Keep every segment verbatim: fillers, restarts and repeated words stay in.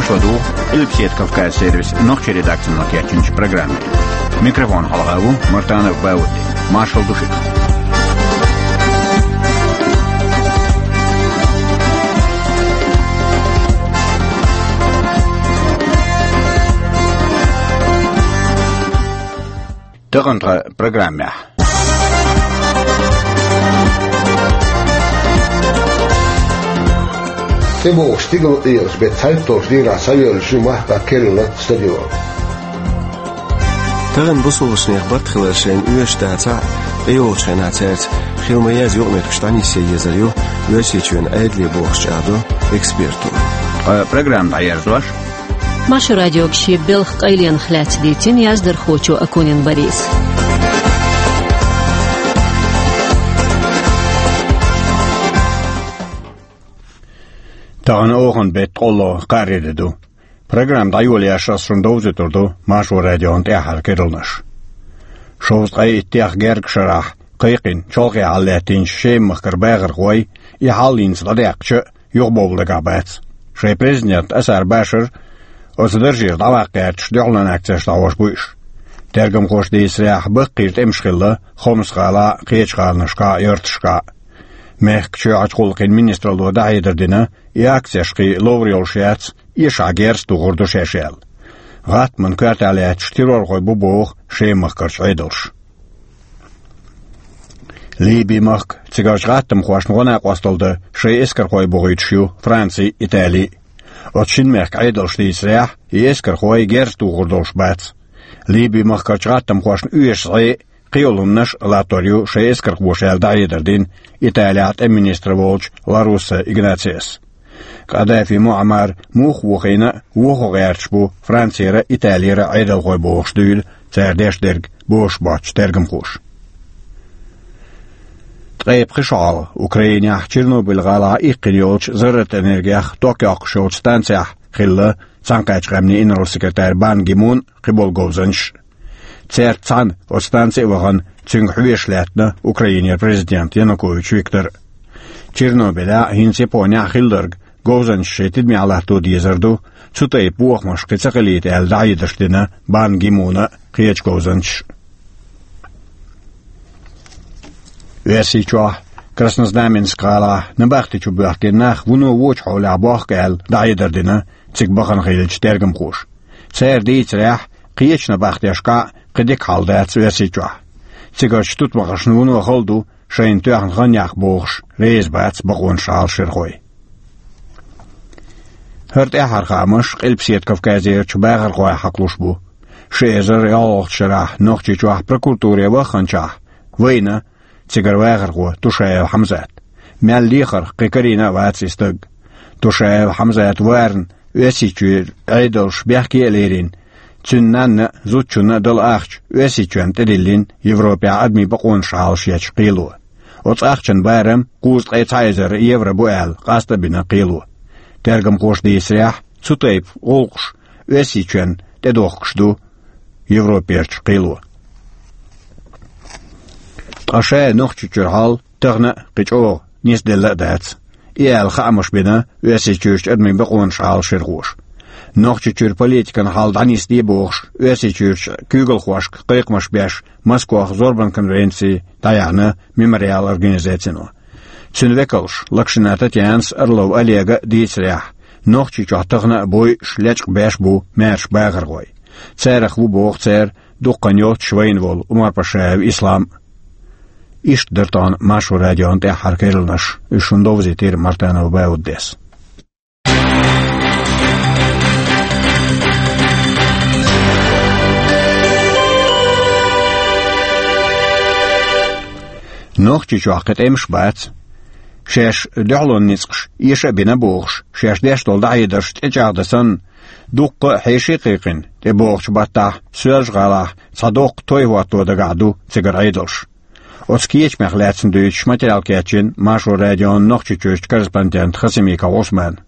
Шо ду Къилбаседа Кавказ сервисан нохчийн редакцино кечйинчу программе. Микрофон хьалха ву Мартанов Бауди. Маршалла ду шуьга. Тахана тхан программехь. ТӀебогӀуш стигала къекъаш беттан цхьайтталгӀачу дийнахь схьайоьллуш ю махкахь керланах стадион. Тахана бусулбанех барт хилар шайна оьшуш дацахь а, тӀейогӀучу хенахь цаьрца хила ма-еззара юкъаметтигаш дӀанисъян езар ю Оьрсийчоьнан Ӏедале бохуш чӀагӀдо эксперташа. Ткъа программа дӀаерзош, Маршо радиога шен белхан къайленах лаьцна дийцина яздархочо Акунин Бориса. Тахана оханан беттан кӀоло кхаарин де ду. Программа дӀайолаеш ас шуна довзуьйтур ду Маршо радион тӀаьххьара керланаш. Шовзткъе иттех гергга шарахь кхайкхина, чолхе хьалалаьттинчу Шеман-махкара бахархой и хьал хӀинца дӀадаьккхича а юхабовла дагахь бац. Шайн президент Асар Башар оцу даржера дӀаваккха гӀерташ дуьхьалонан акцеш дӀахьош бу уьш. Тергамхоша дийцарехь, баккхийра тӀемаш хилла Хомс-гӀалахь а, кхечу гӀаланашкахь а, ярташкахь а. Мехкан чоьхьарчу гӀуллакхийн министралло дӀахьедар дина, и акцеш кхин ловр йолуш яц, эшахь герз тухур ду шаьш аьлла. ГӀаттаман коьртехь лаьтташ террорхой бу боху Шеман-махкарчу Ӏедалша. Ливин-махка, цигарчу гӀаттамхошна гӀо-накъосталла дан шайн эскархой бохуьйтуш ю Франци а, Итали а. Оцу шина мехкан Ӏедалша дийцарехь, и эскархой герз тухур долуш бац. Ливин-махкарчу гӀаттамхошна оьшуш зӀе а, кхин йолу хӀуманаш а латтор ю шайн эскархоша аьлла дӀахьедар дина Италехь тӀеман министр волчу Ла Русса Игнациас. Къадафи Муаммар муха вохийна а, вохо гӀерташ бу Францера а, Италера а Ӏедалхой бохуш дуьйла цара деш дерг, бохуш боцчу тергамхоша. Ткъе пхи шо хьалха Украинехь Чернобыль-гӀалахь иккхина йолчу зарратан энергех ток йоккхуш йолчу станцехь хилла Цхьаьнакхеттачу Къаьмнийн инарла-секретарь Бан Ги Мун а, кхиболу говзанчаш а. Цаьрца цхьаьна оцу станци а вахана, цуьнга хьоьжуш лаьттина Украинера президент Янукович Виктор а. Чернобылехь а, хӀинца Японехь а хилларг говзанчаша шайн тидамехь латто дезар ду, цу тайпа бохамаш кхин ца хилийта аьлла дӀахьедарш дина Бан Ги Муна а, кхечу говзанчаша а. Оьрсийчохь, Краснознаменск-гӀалахь, набахти чу боьхкина нах вуно вочу хьолехь бохку аьлла дӀахьедар дина цига бахана хиллачу тергамхоша. Цара дийцарехь, кхечу набахтешкахь а кхин дика хьал дац Оьрсийчохь. Цигарчу тутмакхашна вуно хала ду шайна тоьхна хан яккха бохуш, реза бац бакъонаш Ӏалашъярхой. ХӀара тӀаьххьара хаамаш Къилбаседа Кавказерчу бахархойх хьакхалуш бу. Ши эзар ялхалгӀачу шарахь Нохчийчохь прокуратуре вахханчохь вайна цигара вахархо Тушаев Хьамзат. Мел лехарх кхин карийна а вац и стаг. Тушаев Хьамзат варна Оьрсийчуьра Ӏедалша бехке а лерина, цуьнан нанна а, зудчунна а дала ахча Оьрсийчоьнна тӀедиллина Европехь адамийн бакъонаш Ӏалашъечу кхело. Оцу ахчан барам кхузткъе цхьа эзар евро бу аьлла, къаста а бина кхело. Тергамхоша дийцарехь, цу тайпа гӀуллакхаш Оьрсийчоьнна тӀедохкуш ду Европерчу кхело. Ткъа ша Нохчийчуьра хьал тахана а кхин чӀогӀа нисделла а дац. И аьлла хаамаш бина Оьрсийчуьрчу адамийн бакъонаш Ӏалашъярхоша. Нохчийчуьра политикан хьал дӀанисде бохуш, Оьрсийчуьрчу куьйгалхошка кхайкхамаш беш Москвахь зорбан конференци дӀаяьхьна Мемориал организацино. Цуьнан векалша Локшина Татьянас а, Орлов Олега а дийцарехь, Нохчийчохь тахана а бойуш, лечкъа беш бу маьрша бахархой. Царах ву, боху цара, дуккха йоццуш вайна волу Умарпашаев Ислам а. Иштта дара тахана Маршо радион тӀаьххьара керланаш. Уьш шуна довзийтира Мартанов Бауддис. Нохчийчохь кхин тӀемаш бац. Шаьш дуьхьалонан ницкъаш эша а бина бохуш, шаьш деш долу дӀахьедарш тӀечӀагӀдан санна, дуккха а хьеший кхайкхина, тӀебогӀучу баттахь Соьлжа-ГӀалахь цхьа доккха той хӀотто дагахь ду цигара Ӏедалш. Оцу кечамех лаьцна дуьйцуш материал кечйина Маршо радион Нохчийчуьрчу корреспондента Хасимиков Ӏусмана.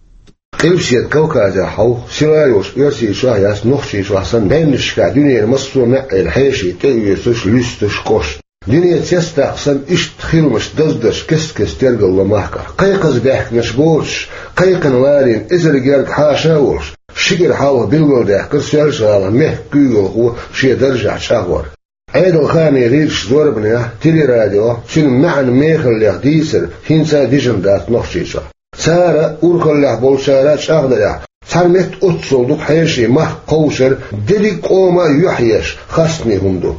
Къилбаседа Кавказехь хьовха, сирахь йолуш Оьрсийчохь яц, Нохчийчохь санна, баьннашкахь дуьненан массо а маьӀӀера хьеший тӀеоьцуш, луьстуш, кхуьуш. Дуьне цецдаккха санна, иштта хиламаш даздарш кест-кеста тергал ло махкахь. Кхайкхаза баьхкинарш боцуш, кхайкхина ларийна эзар гергга хьаша а волуш, Ши кӀира хьалха билгалдаьккхира Соьлжа-ГӀалин мехкан куьйгалхо шен даржехь чӀагӀвар. Ӏедалханийн гӀирсаша зорбанехь, телерадиохь цуьнан маьӀна мехаллех дийцар хӀинца а дижина дац Нохчийчохь. Цара а, урхаллехь болчара а чӀагӀдарехь, цхьана метта оццул дукха хьеший махка кховшар дерриг а къоман а юьхь еш хастаме хӀума ду.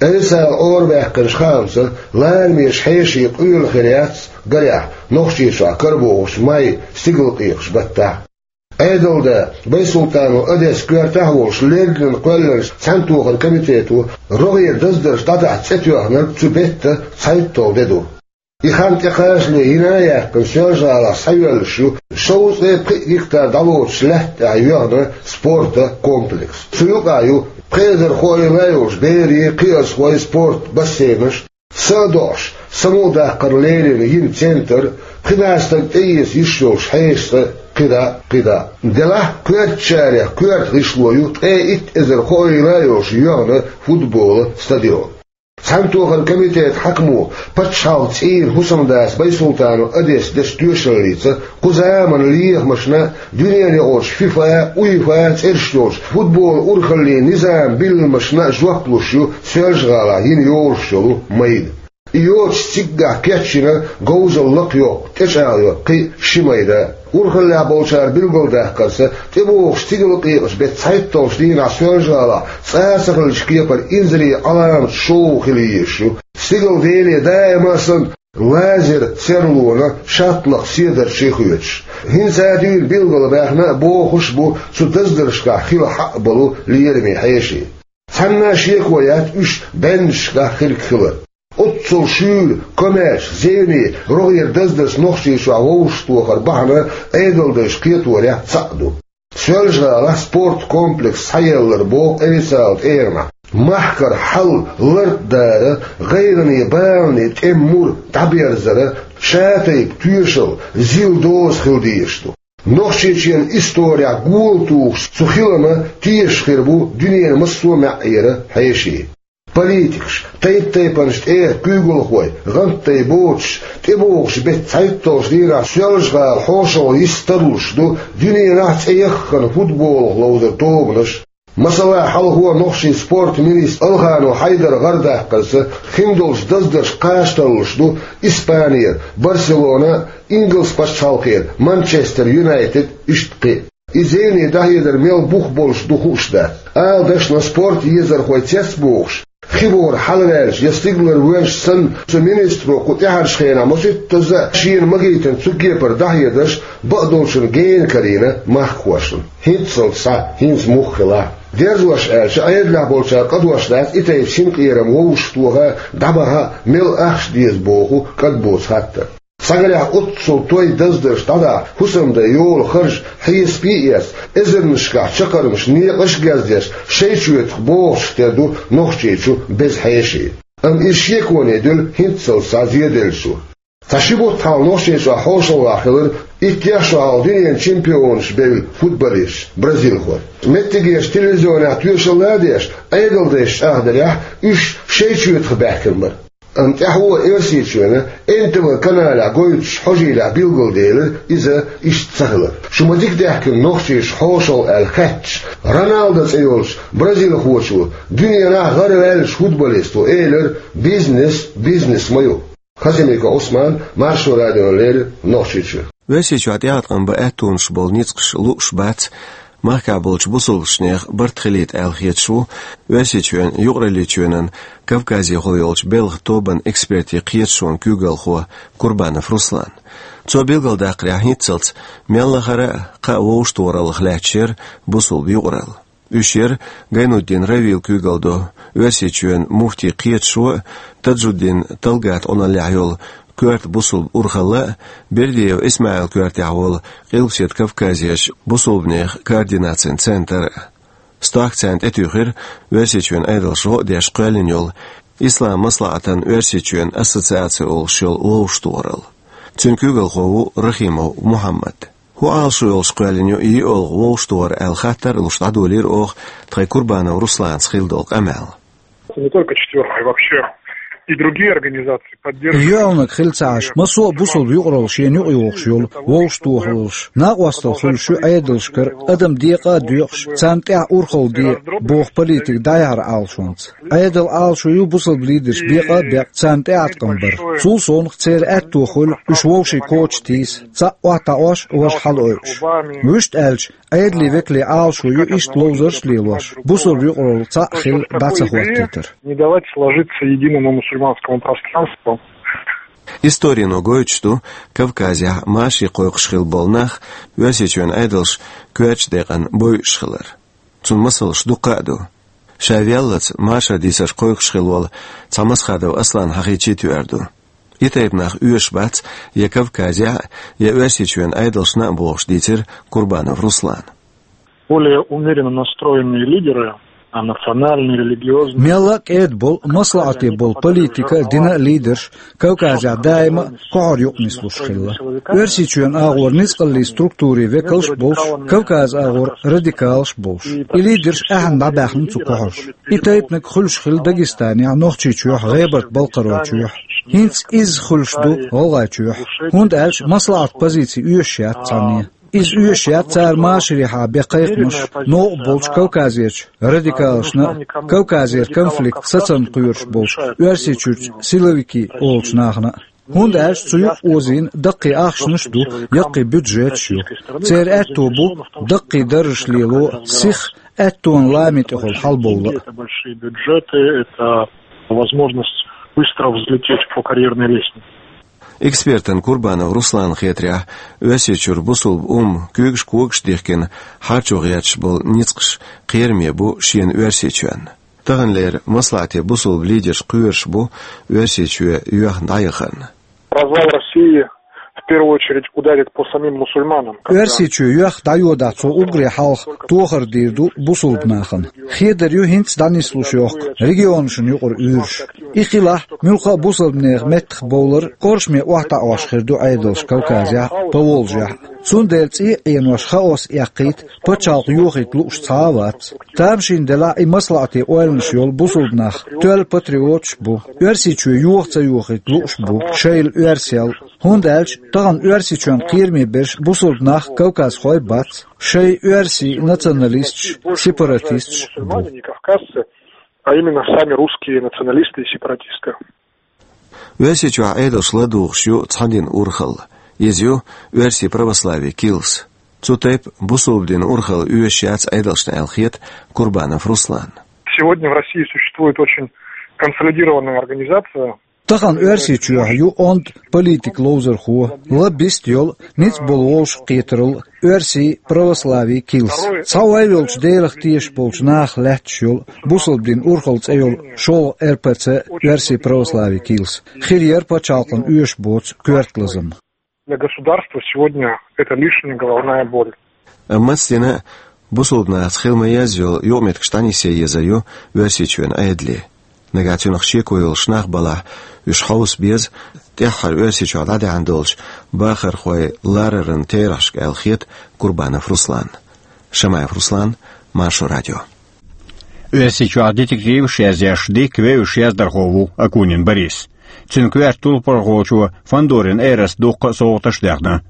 Айса Ӏорабаьккхинчу хаамца, ларамечу хьешийн къоьлла хир яц, гарехь, Нохчийчохь карабогӀучу май стигалкъекъачу баттахь. Ӏедалда, Байсултанов Одес коьртехь а волуш, леррина кхоьллинчу цхьаьнатохаран комитето рогӀера даздарш дӀадахьа цӀе тоьхнарг цу беттан цхьайтталгӀа де ду. И хан тӀекхачале йина а яьккхина, Соьлжа-ГӀалахь схьайоьллуш ю шовзткъе пхиъ гектар дӀалоцучу лаьтта тӀехь йоьхна спортан комплекс. Цу юкъахь ю пхи эзар хоийла йолчу берийн, кхиазхойн спортан бассейнаш, са а доӀуш, самукъадаккхар лерина йина центр, пхи бӀе стаг тӀеэца йиш йолчу хьешаца кхидӀа а, кхидӀа а. Делахь а коьртачарех коьрта гӀишло ю ткъе итт эзар хоийла йолуш йоьхна футболан стадион. Цхьаьнатохаран комитетан хьаькамо, пачхьалкхан цӀийнан хӀусамдас Байсултанов Одес дечу тоьшаллица, кху заманан лехамашна а, дуьненаюкъарчу ФИФА, УЕФА цӀераш йолчу футболан урхаллийн низаман билламашна а жоп луш ю Соьлжа-ГӀалахь йина йолуш йолу майда. И йоцуш циггахь кечйина говзалла лакхайоккху, тӀечӀагӀйо кхин а ши майда. Урхаллехь болчара билгалдаккхарца, тӀебогӀучу стигалкъекъачу беттан цхьайтталгӀачу дийнахь Соьлжа-ГӀалахь цкъа а ца хиллачу кепара инзаре Ӏаламат шоу хила езаш ю. Стигалдели даима а санна, лазеран серлонан шаттлакх седарчий хоьцуш. ХӀинца а дуьйна билгалбаьхна а, бохуш а бу цу даздаршкахь хила хьакъ болу лераме хьеший. Цхьанна а шеко яц уьш бӀеннашкахь хирг хилар. Оццул шуьйра, комаьрша, зевне, рогӀера даздарш Нохчийчохь вовшахтохаран бахьана Ӏедалдайша кхеторехь цхьаъ ду. Соьлжа-ГӀалахь спорткомплекс схьаеллар боху официалан тӀегӀанехь, махкара хьал лартӀадар, гӀайгӀане, балане тӀеман мур дӀаберзар, шатайпа тоьшалла, зил доза хила дезаш ду. Нохчийчоьнан исторехь гола тухуш цу хиламан тешаш хир бу дуьненан массо а маьӀӀера хьеший. Политикаш, тайп-тайпанчу тӀегӀан куьйгалхой, гӀант дай боцуш, тӀебогӀучу беттан цхьайтталгӀачу дийнахь Соьлжа-ГӀала хьошалгӀа йист тарлуш ду дуьненахь цӀе яххана футболах ловзар тобанаш. Масала, хьалхо нохчийн спортан министр Алханов Хьайдара гӀардаккхарца, хиндолчу даздаршка кхача тарлуш ду Испанера Барселона а, ингалс пачхьалкхера Манчестер Юнайтед а, иштта кхин а. И зевне дӀахьедар мел бух болуш ду хууш дац. Ала дашна, спортан езархой цецбохуш, хи бохург хьалаваьлча я стигалара воьжча санна, цу министро кху тӀаьхьарчу хенахь масийттазза а шена магийтина цу кепара дӀахьедарш бакъдолчунна гена карийна махкахошна. ХӀинццалц схьа, хӀинца муха хилахь. Дерзош аьлча, Ӏедалехь болчара къа дош дац и тайпа синкъерам вовшахтоха а, дӀабаха а мел ахча деза боху кӀадбоцу хаттар. Цхьагарехь оццул той даздарш дӀадахьа хӀусамдан йолу харж хьесапе а эцна, эзарнашкахь чаккхармаш, некъаш а гездеш, шайчоьтах богӀучух тера ду Нохчийчу беза хьеший. Амма иза шеконе дуьллу хӀинццалц схьа зеделлачух. Цхьа ши бутт хьалха Нохчийчохь хьошалгӀахь хилира иттех шо хьалха дуьненан чемпионаш бевлла футболисташ, бразилхой. Меттигерчу телевизионехь тоьшалла а деш, Ӏедалдайша чӀагӀдарехь, уьш шайчоьтах баьхкина бара. Амма тӀаьхьо Оьрсийчоьнан Н Т В каналехь гойтучу хьожийлехь билгалделира иза иштта ца хилар. Шу ма дика даьхкина нохчаша хьошалгӀа аьлла хаьттича, Роналдо цӀе йолчу бразилхочо дуьненахь гӀараваьллачу футболисто элира: «Бизнес бизнес ма ю». Хасимиков Ӏусман, Маршо радиона леррина, Нохчийчоь. Оьрсийчохь тӀеӀаткъам бан аьттонаш болу ницкъаш лууш бац, махкахь болчу бусалбачу нехан барт хилийта аьлла хеташ ву Оьрсийчоьнан Юкъараллийчоьнан Кавказехула йолчу белхан тобанан экспертийн кхеташонан куьйгалхо Курбанов Руслан. Цо билгалдаккхарехь, хӀинццалц мел лахара а кхаа вовшахтохараллах лаьтташ яра бусалба юкъаралла. Уьш яра Гайнутдин Равила куьйгалла долу Оьрсийчоьнан муфтин кхеташо а, Таджуддин Талгата Ӏуналлехь йолу коьрта бусалба урхалла а, Бердиев Исмаил коьртехь волу Къилбаседа Кавказерчу бусалбанехан координацин центр а. Стохка царна тӀетуьйхира Оьрсийчоьнан Ӏедалша гӀо а деш кхоьллина йолу Ислам маслаӀатан Оьрсийчоьнан ассоциаци олуш йолу вовшахтохаралла. Цуьнан куьйгалхо ву Рахимов Мухьаммад. ХӀун Ӏалашо йолуш кхоьллина ю и йиъолгӀа вовшахтохар аьлла хаттар а луш, дӀадолийра оха тхайн Курбанов Русланца хилла долу къамел. Не только четвёркой, вообще. И другие организации поддерживают. Юьхьанаг хила ца Ӏаш, массо а бусалба юкъаралла шена юкъа йохуш йолу вовшахтохаллаш, накъосталла хуьлуш ю Ӏедалшкара адам декъа а доькъуш, царна тӀехь урхалла де боху политика дӀаяхьара Ӏалашонца. Ӏедалан Ӏалашо ю бусалба лидерш бекъа а бекъ царна тӀеӀаткъам бар. Цул совнаха церан аьтто хуьлу уьш вовшийн коча тийса, цхьаъ охьатаӀош, важа хьалаойуш. Вуьшта аьлча, Ӏедалан векалийн Ӏалашо ю иштта ловзарш а лелош, бусалба юкъаралла цхьаъ хила дӀа ца хӀоттийтар. Не давать сложиться единому мусульманскому пространству. Историно гойтуш ду, Кавказехь машаре кхойкхуш хилла болу нах Оьрсийчоьнан Ӏедалша коьртачу декъана бойуш хилар. Цунна масалш дуккха а ду. Ша веллалц машаран дийцарш кхойкхуш хилла волу цхьа Масхадов Аслан хьахийча тоьар ду. И тайпа нах оьшуш бац я Кавказехь а, я Оьрсийчоьнан Ӏедалшна а бохуш дийцира Курбанов Руслана. Более умеренно настроенные лидеры, а национальные, религиозные. Мелла а кӀеда болу, маслаӀате болу политика а, динан а лидерш Кавказехь даима а кхохьур юкъа нислуш хилла. Оьрсийчоьнан агӀор ницкъаллийн структурийн векалш а болуш, Кавказан агӀор радикалш а болуш. И лидерш ахьа дӀабаьхна цу кхохьуш. И тайпаниг хуьлуш хилла Дагестанехь, Нохчийчохь, ГӀебарта-Балкхаройчохь. ХӀинца изза хуьлуш ду ГӀалгӀайчохь. ХӀунда аьлча маслаӀат позици оьшуш яц цхьанне. Иза оьшуш яц цара машарехьа бен кхайкхамаш, новкъа болчу Кавказерчу радикалашна а, Кавказера конфликт сацам кхоьруш болчу Оьрсийчуьрчу силовики олучу нахана а. ХӀунда аьлча цу юкъа озийна даккхий ахчанаш а ду, яккхий бюджеташ а ю. Церан аьтто бу даккхий даржаш лело, сиха аьттонан лами тӀехула хьалабовла а. Это большие бюджеты, это возможность быстро взлететь по карьерной лестнице. Экспертана Курбанов Руслана хетарехь, Оьрсийчуьра бусулба умма куьйгаш-когаш дихкина хьарчо гӀерташ болу ницкъаш кхераме бу шена Оьрсийчоьнна. Таханлера маслаӀате бусулба лидерш кхоьруш бу Оьрсийчоь йоьхна дӀаяхарна. Развал России в первую очередь ударит по самим мусульманам. Оьрсийчоь йоьхна дӀайодахь, цо уггаре хьалха тохар дийр ду бусулба нахана. Хедар ю хӀинца дӀанислуш йохку регионашна юкъара уьйраш. И хилахь, муьлхха а бусалбанех меттах бовлар кхоршаме охьатаӀош хир ду Ӏедалш Кавказехь а, Поволжьехь а. Цундела цӀий а Ӏенош хаос эккхийта, пачхьалкх йохийта лууш цхьа а вац. Тамашийна делахь, и маслаӀате ойланаш йолу бусулба нах тоьлла патриоташ а бу. Оьрсийчоь йоха ца йохийта лууш а бу, шайла оьрсел. ХӀунда аьлча тахана Оьрсийчоьнна кхераме берш бусулба нах, кавказхой бац, шайн оьрсийн националисташ, сепаратисташ а бу. Внимание, не кавказцы, а именно сами русские националисты и сепаратисты. Оьрсийчохь Ӏедалш ладугӀуш ю цхьа динан урхалла. Иза ю оьрсийн православийн килс. Цу тайпа бусулба динан урхалла оьшуш яц Ӏедалшна аьлла хета Курбанов Русланна. Сегодня в России существует очень консолидированная организация. Тахана Оьрсийчохь ю онда политик ловзархо, лаббист йолу, ницкъ болу вовшахкхетаралла оьрсийн православийн килс. Цхьа вай волчу Делах тешаш болчу нахах лаьтташ йолу бусалба динан урхалла цӀе йолу шолгӀа РПЦ, оьрсийн православийн килс. Хир яра пачхьалкхана оьшуш боцу коьрта лазам. Для государства сегодня это лишняя головная боль. Амма массо а дина а бусулба нахаца хила ма-еззара йолу юкъаметтигаш дӀанисъян езар ю Оьрсийчоьнан Ӏедале. Нагахь цунах шеко йолуш нах балахь, уьш хьовса беза тӀаьххьара Оьрсийчохь дӀадаьхьна долчу бахархойн лараран терахьашка аьлла хета Курбанов Русланна. Шамаев Руслан, Маршо радио. Оьрсийчохь детективаш язъеш дикка вевзаш яздархо ву Акунин Борис. Цуьнан коьрта турпалхочо Фандорин Эраса дуккха а совгӀаташ а даьхна.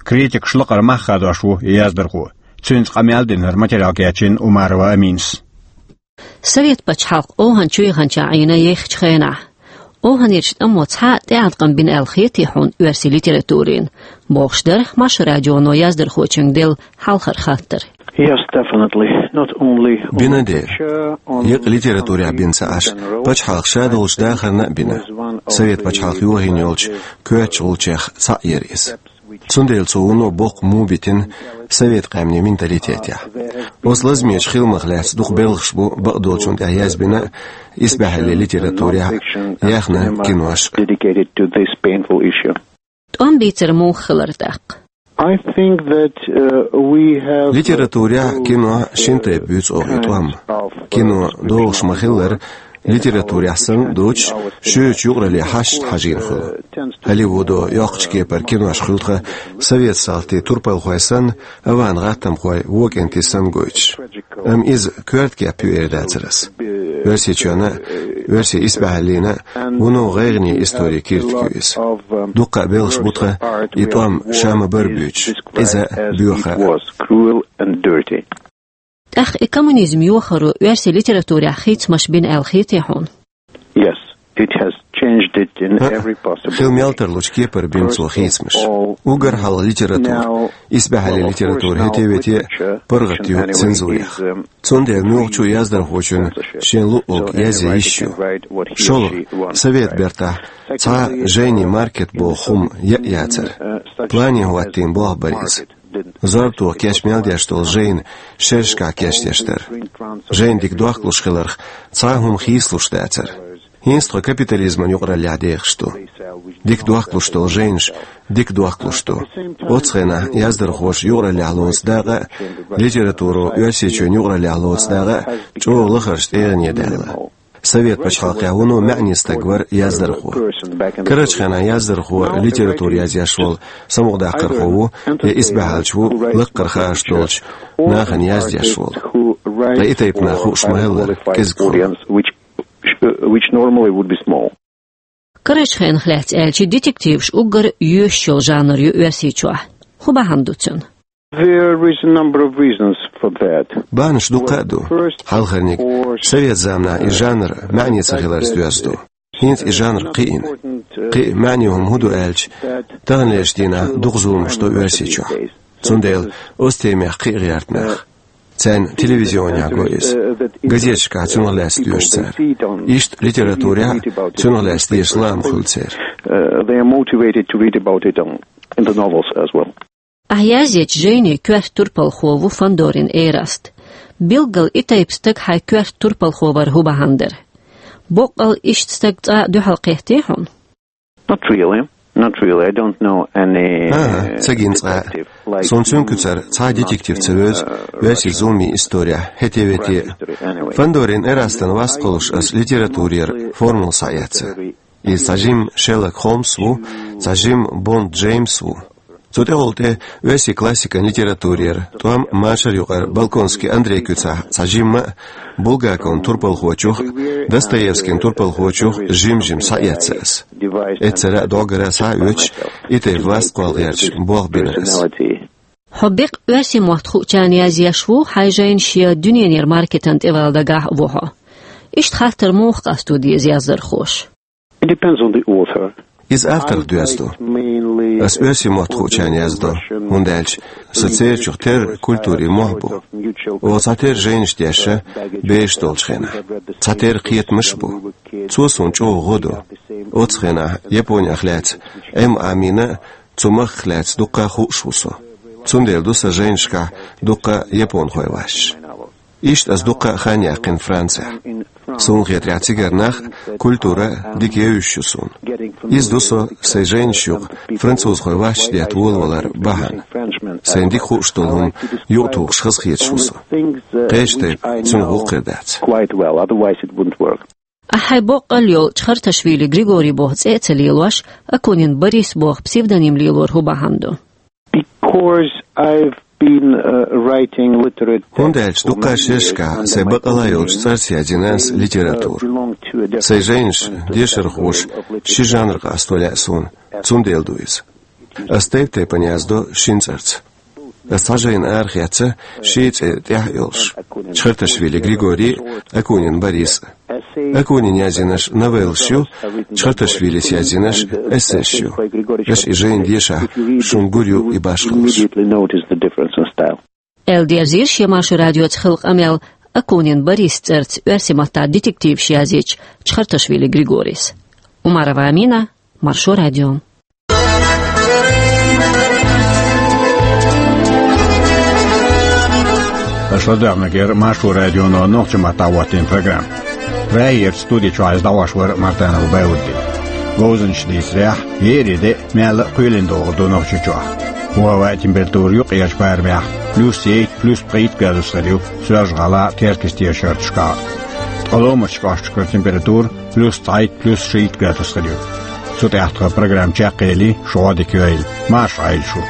Критикаш лакхара мах хадош ву и яздархо. Цуьнца къамел динарг материал кечйина Умарова Аминас. Совет пачхьалкх ОвхӀан чу яханчохь Ӏийна ехачу хенахь, ОвхӀанерчу тӀамо цхьа а тӀеӀаткъам бина аьлла хетий хьуна оьрсийн литературина, бохуш дара Маршо радионо яздархочуьнга делла хьалхара хаттар. Yes, definitely. Not only on literature, on some things in general. Бина дера. Еккъа литературехь бина ца Ӏаш, пачхьалкх ша долчу дахарна а бина. Совет пачхьалкх йохийна йолчу коьртачу гӀулчех цхьаъ яра иза. Цундела цо вуно боккха му битина совет къаьмнийн менталитетехь. Оцу лазамечу хиламах лаьцна дукха белхаш бу бакъдолчунна тӀехь язбина а, исбаьхьаллин литературехь а, яьхна кинош а. Dedicated to this painful issue. ТӀом бийцар муха хилар тӀаккха? I think that, uh, we have, uh, Литературехь, кинохь шина тайпа буьйцу оха и тӀом. Кино догӀуш ма-хиллара, литературехь санна а доцуш, шуьйрачу юкъараллин хьашташна хьажийна хуьлу. Голливудо йоккхачу кепара кинош хуьлу тхан совет салтийн турпалхой санна, аван гӀаттамхой вон кӀентий санна гойтуш. Амма иза коьрта кеп ю эр дацара ас. Оьрсийчоьнна, оьрсийн исбаьхьаллина вуно гӀайгӀане историн киртиг ю иза. Дуккха а белхаш бу тха и тӀом ша ма-барра буьйцуш, Ӏеза а, боьха а. It was cruel and dirty. ТӀаккха и коммунизм йохаро оьрсийн литературехь хийцамаш бина аьлла хетий хьуна? Yes, it has changed it in А, every possible хила мел тарлучу кепара бина цо хийцамаш. Уггар хьалха литература, исбаьхьаллин литература хӀетте-ветте паргӀат ю цензурех. Цундела муьлххачу яздархочун шен луъург язъян йиш ю. ШолгӀа, совет бертахь цхьа жайнийн маркет боху хӀума яа яцара. Плане хӀоттийна болх бара иза. Зорбатохь кечъян мел деш долу жайна шерашкахь кечдеш дара. Жайна дика дохкалуш хиларх цхьа а хӀума хийцалуш дацара. ХӀинца тхо капитализман юкъараллехь дехаш ду. Дика дохкалуш долу жайнаш дика дохкалуш ду. Оццу хенахь яздархоша юкъараллехь лоцу дакъа а, литературо Оьрсийчоьнан юкъараллехь лоцу дакъа а чӀогӀа лахарчу тӀегӀане даьлла. Совет пачхьалкхехь вуно маьӀне стаг вара яздархо. Карарчу хенахь яздархо литература язъеш волу самукъадаккхархо ву я исбаьхьаллича ву лаккхара хаарш долчу нахана яздеш волу. Ткъа и тайпа нах хууш ма хилла кӀезиг хьуна. Which, which normally would be small. Карарчу хенах лаьцна аьлча, детективаш уггар йоьшуш йолу жанр ю Оьрсийчохь. ХӀун бахьана ду цуьнан? There is a number of reasons for that. Бахьанаш дуккха а ду. Хьалхарниг, совет заманахь и жанр маьӀне ца хиларца доьзна ду. ХӀинца и жанр кхиийна. Кхин а маьӀне хӀума хӀун ду аьлча, таханлерчу дийнахь дукха зуламаш до Оьрсийчохь. Цундела оцу темех кхиа гӀерта нах. Царна телевизионехь го иза. Газеташкахь цунах лаьцна доьшу цара. Иштта литературехь а цунах лаьцна деша лаам хуьлу церан. Uh, they are motivated to read about it on, in the novels as well. Ахь язъечу жайнийн коьрта турпалхо ву Фандорин Эраст. Билггал и тайпа стаг хьайн коьрта турпалхо вар хӀун бахьана дара? Боккъал иштта стаг цкъа а дуьхьал кхеттий хьуна? Not really. Not really. I don't know any. ХӀан-хӀа, ца гина цкъа а. Суна цуьнан куьцара цхьа а детектив ца вевза оьрсийн зуламийн исторехь, хӀетте-ветте а. Фандорин Эрастан васт кхуллуш аса литературера формула схьаэцна. Иза цхьа жимма Шерлок Холмс ву, цхьа жимма Бонд Джеймс ву. Цу тӀехула тӀе оьрсийн классикан литературера тӀом машар юкъара Балконский Андрей куьцахь цхьа жимма а, Булгаковн турпалхочух а, Достоевскин турпалхочух а жим-жим схьаэцна аса. Эццара а, дӀогара а схьа а оьцуш, и тайпа васт кхолла гӀерташ болх бина аса. Хьо беккъа оьрсийн мотт хуучарна язъеш ву хьайн жайнаш, я дуьненара маркетан тӀе вала дагахь а ву хьо? Иштта хаттар муха къасто деза яздархоша? It depends on the author. Иза авторах доьзна ду. Ас оьрсийн мотт хуучарна яздо, хӀунда аьлча сан церачух терра культурин мохь бу. Оха цхьатерра жайнаш дешна, бераш долчу хенахь. Цхьатерра кхетамаш а бу. Цо суна чӀогӀа гӀо до. Оццу хенахь Японех лаьцна М. Амина а, цу махках лаьцна дуккха а хууш ву со. Цундела ду сан жайнашкахь дуккха а японхойн васташ. Иштта ас дуккха а хан яьккхина Францехь. Суна хетарехь, цигара нах а, культура а дика евзаш ю суна. Иза ду со сайн жайнаш юкъа французхойн васташ детта волавалар бахьана. Сайна дика хууш долу хӀума юкъатухуш хазахеташ ву со. Кхечу тайпа цунах гӀуллакх хир дац. Quite well, otherwise it wouldn't work. Ахь хьайн боккъал йолу Чхарташвили Григорий боху цӀе а ца лелош, Акунин Борис боху псевдоним лелор хӀун бахьана ду? Because I've been, uh, writing literature. ХӀунда аьлча дуккха а шерашкахь сайн бакъалла йолчу цӀарца яздина аса литература. Сайн жайнаш дешархоша ши жанр къасто лаьа суна, цундела ду иза. Ас тайп-тайпана яздо шина цӀарца. Ас цхьа жайна арахецна ши цӀе тӀехь а йолуш: Чхарташвили Григорий а, Акунин Борис а. Акунина яздинарш новеллаш ю, Чхарташвилис яздинарш эссейш ю. Аша и жайна дешахь, шуна гур ю и башхаллаш. Аьлла дерзийра шен Маршо радиоца хилла къамел Акунин Борис цӀарца оьрсийн маттахь детективаш язйича Чхарташвили Григорис. Умарова Амина, Маршо радио. Аша ладоьгӀнарг яра Маршо радионо нохчийн маттахь хӀоттийна программа. Прагерчу студи чохь иза дӀахьош вара Мартанов Баудди. Говзанчаш дийцарехь, еарин де а, маьлла а кхоьлина догӀур ду Нохчийчохь. ХӀаваан температура юккъерчу барамехь плюс ейтта, плюс пхийтта градус хир ю Соьлжа-ГӀалахь а, Теркйистера шарташкахь а. Ткъа ломарчу кӀошташкара температура плюс цхьайтта, плюс шийтта градус хир ю. Цу тӀехь тхан программа чекхъели, шу гӀо дика йойла. Марша Ӏойла шу.